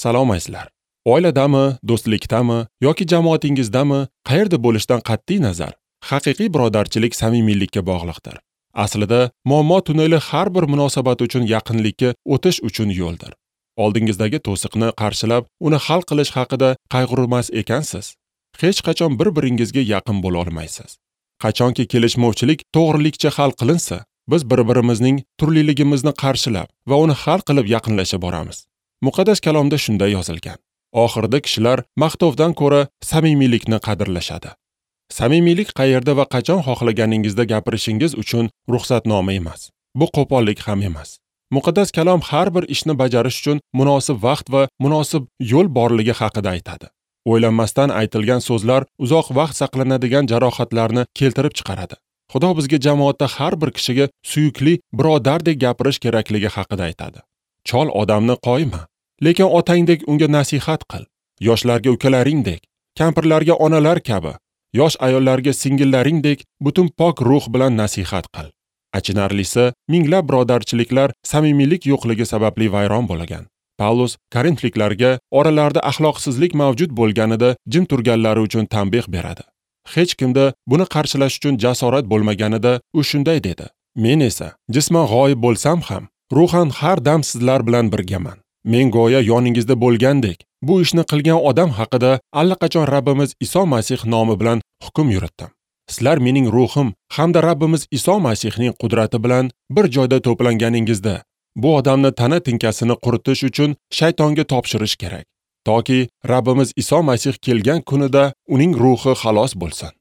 Salom azizlar. Oiladami, do'stlikdami yoki jamoatingizdami, qayerda bo'lishdan qat'iy nazar, haqiqiy birodarchilik samimiylikka bog'liqdir. Aslida muammo tuneli har bir munosabat uchun yaqinlikka o'tish uchun yo'ldir. Oldingizdagi to'siqni qarshilab, uni hal qilish haqida qayg'urmas ekansiz, hech qachon bir-biringizga yaqin bo'la olmaysiz. Qachonki kelishmovchilik to'g'rilikcha hal qilinsa, biz bir-birimizning turliligimizni qarshilab va uni hal qilib yaqinlasha boramiz. Muqaddas kalomda shunday yozilgan. Oxirida kishilar maqtovdan ko'ra samimiylikni qadrlashadi. Samimiylik qayerda va qachon xohlaganingizda gapirishingiz uchun ruxsatnoma emas. Bu qo'pollik ham emas. Muqaddas kalom har bir ishni bajarish uchun munosib vaqt va munosib yo'l borligi haqida aytadi. O'ylanmasdan aytilgan so'zlar uzoq vaqt saqlanadigan jarohatlarni keltirib chiqaradi. Xudo bizga jamoatda har bir kishiga suyukli birodardek gapirish kerakligi haqida aytadi. Chol odamni qo'yma, lekin otangdek unga nasihat qil. Yoshlarga ukalaringdek, kampirlarga onalar kabi, yosh ayollarga singillaringdek butun pok ruh bilan nasihat qil. Achinarlisi, minglab birodarchiliklar samimiylik yo'qligi sababli vayron bo'lgan. Pavlus Korinfliklarga oralarida axloqsizlik mavjud bo'lganida jim turganlari uchun tanbeh beradi. Hech kimda buni qarshilash uchun jasorat bo'lmaganida u shunday dedi: Men esa jisman g'oyib bo'lsam ham, ruhan har dam sizlar bilan birgaman. Men go'yo yoningizda bo'lgandek, bu ishni qilgan odam haqida allaqachon Rabbimiz Iso Masih nomi bilan hukm yuritdim. Sizlar mening ruhim hamda Rabbimiz Iso Masihning qudrati bilan bir joyda to'planganingizda, bu odamni tana tinkasini quritish uchun shaytonga topshirish kerak, toki Rabbimiz Iso Masih kelgan kunida uning ruhi xalos bo'lsin.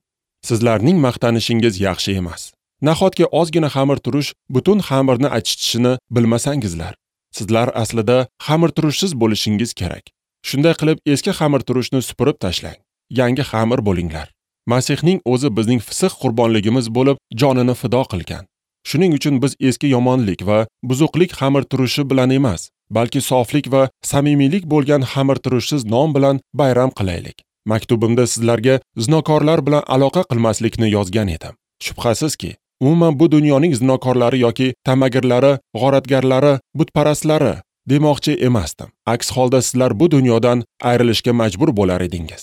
Sizlarning maqtanishingiz yaxshi emas. Nahotki ozgina xamir turish butun xamirni achitishini bilmasangizlar? Sizlar aslida xamir turushsiz bo'lishingiz kerak. Shunday qilib eski xamir turushni supurib tashlang. Yangi xamir bo'linglar. Masihning o'zi bizning fisq qurbonligimiz bo'lib jonini fido qilgan. Shuning uchun biz eski yomonlik va buzuqlik xamir turushi bilan emas, balki soflik va samimiylik bo'lgan xamir turushsiz nom bilan bayram qilaylik. Maktubimda sizlarga zinokorlar bilan aloqa qilmaslikni yozgan edim. Shubhasizki, umuman bu dunyoning zinokorlari yoki tamagirlari, g'oratgarlari, butparastlari demoqchi emasdim. Aks holda sizlar bu dunyodan ayrilishga majbur bo'lar edingiz.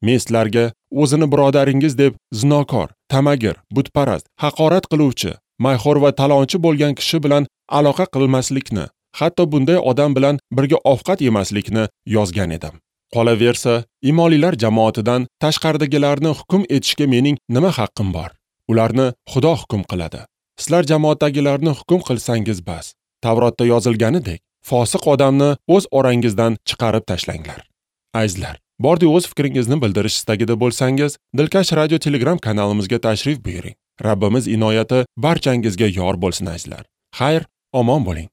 Men sizlarga o'zini birodaringiz deb zinokor, tamagir, butparast, haqorat qiluvchi, mayxo'r va talonchi bo'lgan kishi bilan aloqa qilmaslikni, hatto bunday odam bilan birga ovqat yemaslikni yozgan edim. Qolaversa, imonlilar jamoatidan tashqaridagilarni hukm etishga mening nima haqqim bor? Ularni Xudo hukm qiladi. Sizlar jamoatdagilarni hukm qilsangiz bas. Tavrotda yozilganidek, fosiq odamni o'z orangizdan chiqarib tashlanglar. Azizlar, bordi o'z fikringizni bildirish istagida bo'lsangiz, Dilkash Radio Telegram kanalimizga tashrif buyuring. Rabbimiz inoyati barchangizga yor bo'lsin azizlar. Xayr, omon bo'ling.